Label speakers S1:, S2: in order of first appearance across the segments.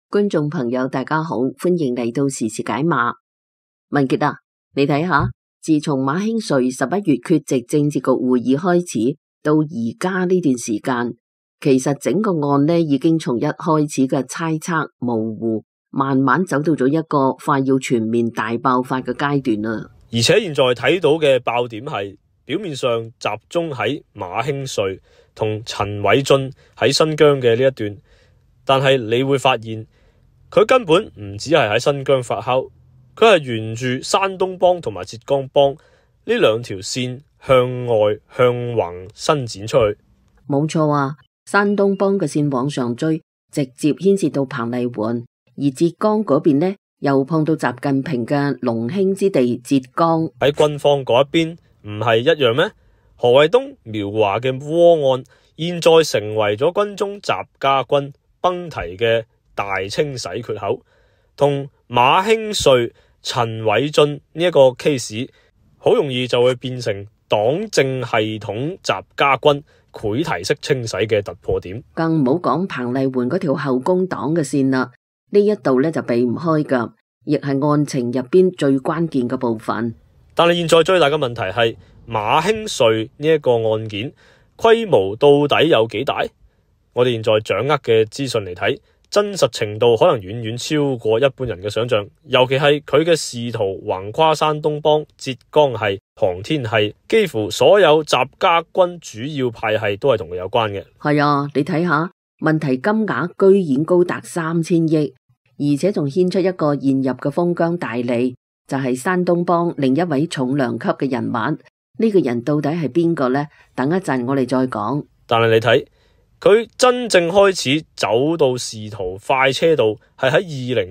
S1: 觀眾朋友大家好，歡迎嚟到時事解碼。文傑啊，你睇下，自從馬興瑞11月缺席政治局會議開始，到而家呢段時間，其實整個案呢已經從一開始嘅猜測模糊，慢慢走到咗一個快要全面大爆發嘅階段啦。
S2: 而且現在睇到嘅爆點係表面上集中喺馬興瑞同陳偉俊喺新疆嘅呢一段，但係你會發現佢根本唔只係喺新疆發酵，佢係沿住山東幫同埋浙江幫呢兩條線向外向橫伸展出去。
S1: 冇錯啊，山東幫嘅線往上追，直接牽涉到彭麗媛，而浙江嗰邊呢又碰到習近平嘅龍興之地浙江。喺
S2: 軍方嗰一邊唔係一樣咩？何衛東苗華嘅窩案現在成為咗軍中習家軍崩堤嘅大清洗缺口，同馬興瑞、陳偉俊呢一個 case 好容易就會變成黨政系統習家軍潰堤式清洗嘅突破點。
S1: 更唔好講彭麗媛嗰條後宮黨嘅線啦，呢一度呢就避唔開噶，亦係案情入邊最關鍵嘅部分。
S2: 但係現在最大嘅問題係馬興瑞呢一個案件規模到底有幾大？我哋現在掌握嘅資訊嚟睇，真實程度可能遠遠超過一般人嘅想象，尤其係佢嘅仕途橫跨山東幫、浙江系、航天系，幾乎所有習家軍主要派系都係同佢有關嘅。
S1: 係啊，你睇下，問題金額居然高達3000億，而且仲牽出一個現入嘅封疆大吏，就係山東幫另一位重量級嘅人物。呢個人到底係邊個呢？等一陣我哋再講。
S2: 但係你睇，佢真正開始走到仕途快車道係喺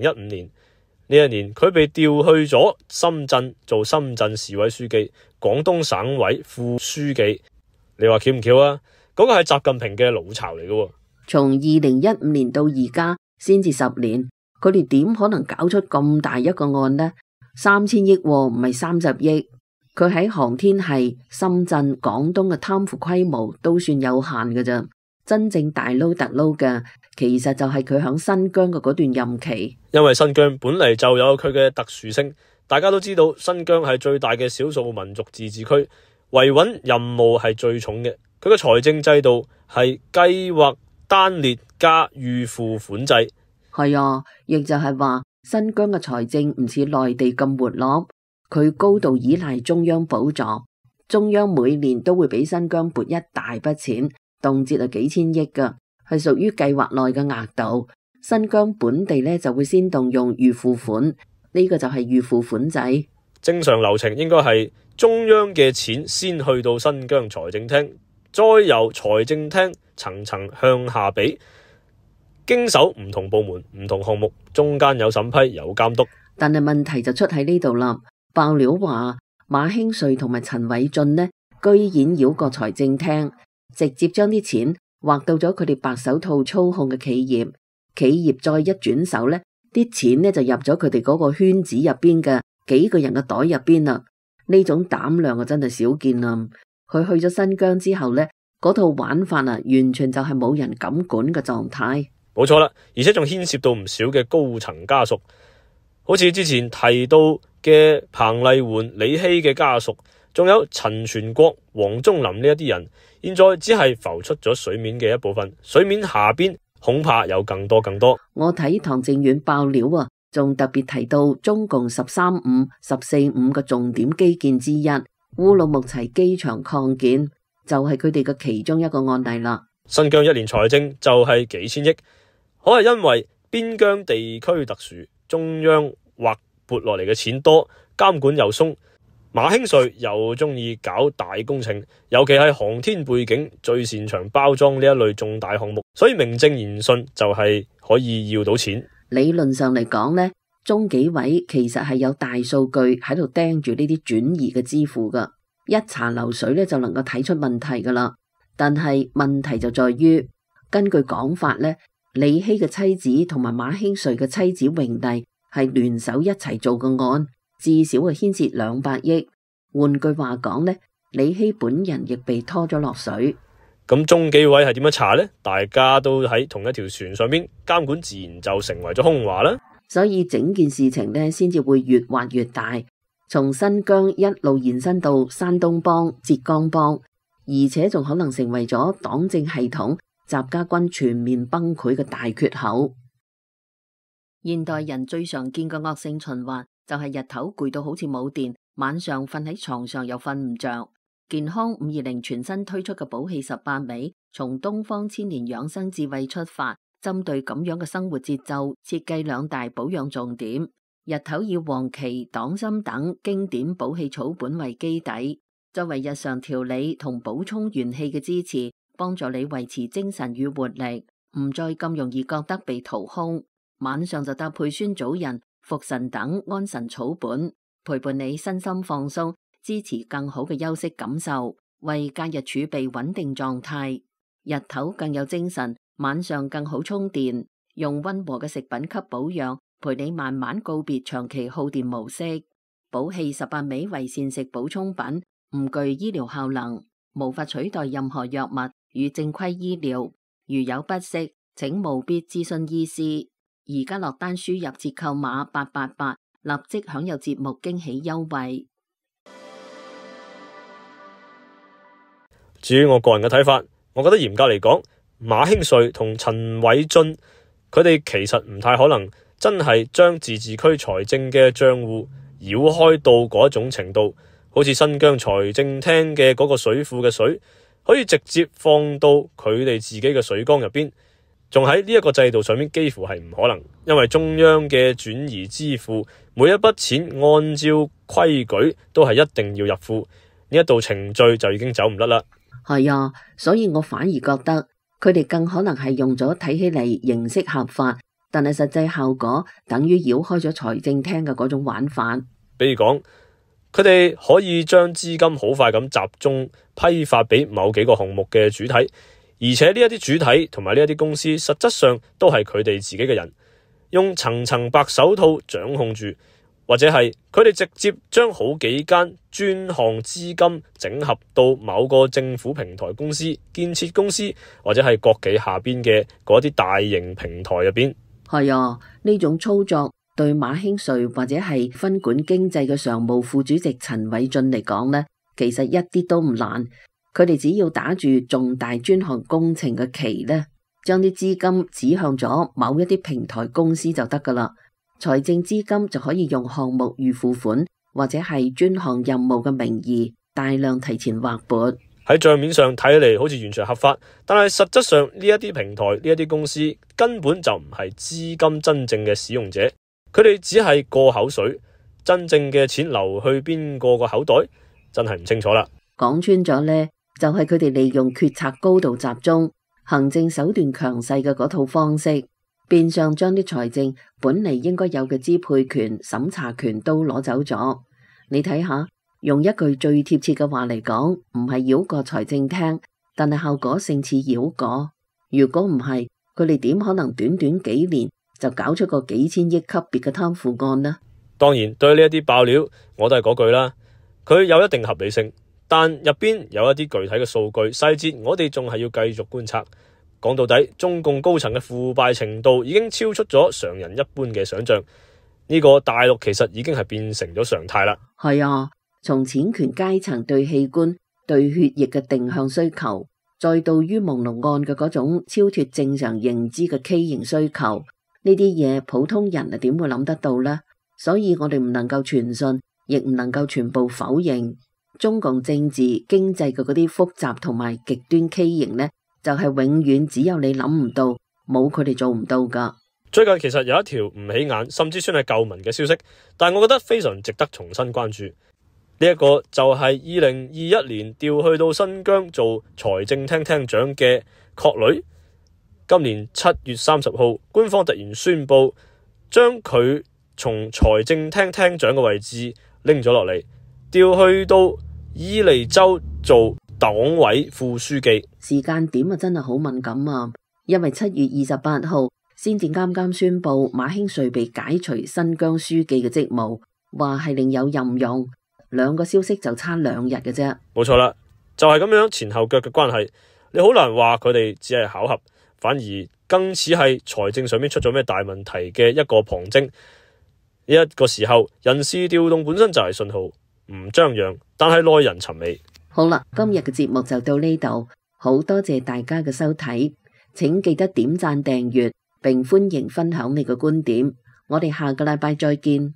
S2: 2015年呢一年，佢被調去咗深圳做深圳市委書記、廣東省委副書記。你話巧唔巧啊？嗰個係習近平嘅老巢嚟嘅。
S1: 從2015年到而家先至10年，佢哋點可能搞出咁大一個案呢？3000億唔係30億。佢喺航天系、深圳、廣東嘅貪腐規模都算有限嘅咋。真正大撈特撈嘅，其實就係佢響新疆嘅嗰段任期。因為新疆本嚟就有佢嘅特殊性，大家都知道新疆係最大嘅少數民族自治區，維穩任務係最重嘅。佢嘅財政制度係計劃單列加預付款制。係啊，亦就係話新疆嘅財政唔似內地咁活絡，佢高度依賴中央補助，中央每年都會俾新疆撥一大筆錢。動輒係幾千億噶，係屬於計劃內嘅額度。新疆本地呢就會先動用預付款，呢個就係預付款制。正常流程應該係中央嘅錢先去到新疆財政廳，再由財政廳層層向下俾，經手唔同部門、唔同項目，中間有審批、有監督。但係問題就出喺呢度啦。爆料話馬興瑞同埋陳偉俊呢，居然繞過財政廳，直接將啲錢劃到咗佢哋白手套操控嘅企業，企業再一轉手呢，啲錢呢就入咗佢哋嗰個圈子入邊嘅幾個人嘅袋入邊啦。呢種膽量啊，真係少見啦！佢去咗新疆之後呢，嗰套玩法啊，完全就係冇人敢管嘅狀態。冇錯啦，而且仲牽涉到唔少嘅高層家屬，好似之前提到嘅彭麗媛、李希嘅家屬，仲有陳全國、王忠林呢一啲人。現在只係浮出咗水面嘅一部分，水面下邊恐怕有更多。我睇唐靖遠爆料啊，仲特別提到中共13-5、14-5嘅重點基建之一烏魯木齊機場擴建，就係佢哋嘅其中一個案例啦。新疆一年財政就係幾千億，可係因為邊疆地區特殊，中央或撥落嚟嘅錢多，監管又鬆。馬興瑞又中意搞大工程，尤其係航天背景，最擅長包裝呢一類重大項目，所以名正言順就係可以要到錢。理論上嚟講呢，中紀委其實係有大數據喺度盯住呢啲轉移嘅支付噶，一查流水呢就能夠睇出問題噶啦。但係問題就在於，根據講法呢，李希嘅妻子同埋馬興瑞嘅妻子榮麗係聯手一齊做個案。至少係牽涉200億。換句話講呢，李希本人亦被拖咗落水。
S2: 咁中紀委係點樣查呢？大家都喺同一條船上邊，監管自然就成為咗空話啦。
S1: 所以整件事情呢，先至會越畫越大，從新疆一路延伸到山東幫、浙江幫，而且仲可能成為咗黨政系統習家軍全面崩潰嘅大缺口。現代人最常見嘅惡性循環就係日頭攰到好似冇電，晚上瞓喺床上又瞓唔着。健康520全新推出嘅補氣18味，從東方千年養生智慧出發，針對咁樣嘅生活節奏，設計2大保養重點。日頭以黃芪、黨參等經典補氣草本為基底，作為日常調理同補充元氣嘅支持，幫助你維持精神與活力，唔再咁容易覺得被掏空。晚上就搭配酸棗仁、茯神等安神草本，陪伴你身心放鬆，支持更好嘅休息感受，為假日儲備穩定狀態。日頭更有精神，晚上更好充電。用溫和嘅食品給保養，陪你慢慢告別長期耗電模式。補氣18味為膳食補充品，唔具醫療效能，無法取代任何藥物與正規醫療。如有不適，請務必諮詢醫師。而家落單輸入折扣碼888，立即享有節目驚喜優惠。
S2: 至於我個人嘅睇法，我覺得嚴格嚟講，馬興瑞同陳偉俊佢哋其實唔太可能真係將自治區財政嘅賬戶繞開到嗰一種程度，好似新疆財政廳嘅嗰個水庫嘅水可以直接放到佢哋自己嘅水缸入邊，仲喺呢一個制度上面幾乎係唔可能，因為中央嘅轉移支付每一筆錢按照規矩都係一定要入庫，呢一道程序就已經走唔甩啦。
S1: 係啊，所以我反而覺得佢哋更可能係用咗睇起嚟形式合法，但係實際效果等於繞開咗財政廳嘅嗰種玩法。
S2: 比如講，佢哋可以將資金好快咁集中批發俾某幾個項目嘅主體，而且呢一啲主體同埋呢一啲公司實質上都係佢哋自己嘅人，用層層白手套掌控住，或者係佢哋直接將好幾間專項資金整合到某個政府平台公司、建設公司或者係國企下邊嘅嗰啲大型平台入邊。
S1: 係啊，呢種操作對馬興瑞或者係分管經濟嘅常務副主席陳偉俊嚟講呢，其實一啲都唔難。佢哋只要打住重大專項工程嘅旗呢，將啲資金指向咗某一啲平台公司就得噶啦。財政資金就可以用項目預付款或者係專項任務嘅名義大量提前劃撥。
S2: 喺賬面上睇嚟好似完全合法，但係實質上呢一啲平台、呢一啲公司根本就唔係資金真正嘅使用者，佢哋只係過口水，真正嘅錢流去邊個個口袋，真係唔清楚啦。
S1: 講穿咗呢，就係佢哋利用決策高度集中、行政手段強勢嘅嗰套方式，變相將啲財政本嚟應該有嘅支配權、審查權都攞走咗。你睇下，用一句最貼切嘅話嚟講，唔係繞過財政廳，但係效果勝似繞過。如果唔係，佢哋點可能短短幾年就搞出個幾千億級別嘅貪腐案呢？
S2: 當然，對呢一啲爆料，我都係嗰句啦，佢有一定合理性，但入邊有一啲具體嘅數據細節，我哋仲係要繼續觀察。講到底，中共高層嘅腐敗程度已經超出咗常人一般嘅想象，呢個大陸其實已經係變成咗常態啦。
S1: 係啊，從錢權階層對器官、對血液嘅定向需求，再到於朦朧案嘅嗰種超脫正常認知嘅畸形需求，呢啲嘢普通人啊點會諗得到呢？所以我哋唔能夠全信，亦唔能夠全部否認。中共政治經濟嘅嗰啲複雜同埋極端畸形呢，就係永遠只有你諗唔到，冇佢哋做唔到噶。
S2: 最近其實有一條唔起眼，甚至算係舊聞嘅消息，但係我覺得非常值得重新關注。呢一個就係2021年調去到新疆做財政廳廳長嘅郝蕾，今年7月30號，官方突然宣布將佢從財政廳廳長嘅位置拎咗落嚟，調去到伊犁州做黨委副書記。
S1: 時間點啊真係好敏感啊，因為7月28號先至啱啱宣布馬興瑞被解除新疆書記嘅職務，話係另有任用，兩個消息就差2日嘅啫。
S2: 冇錯啦，就係咁樣前後腳嘅關係。你好難話佢哋只係巧合，反而更似係財政上面出咗咩大問題嘅一個旁徵。呢一個時候，人事調動本身就係信號，唔張揚，但係耐人尋味。
S1: 好啦，今日嘅節目就到呢度，好多謝大家嘅收睇，請記得點讚訂閱，並歡迎分享你嘅觀點。我哋下個禮拜再見。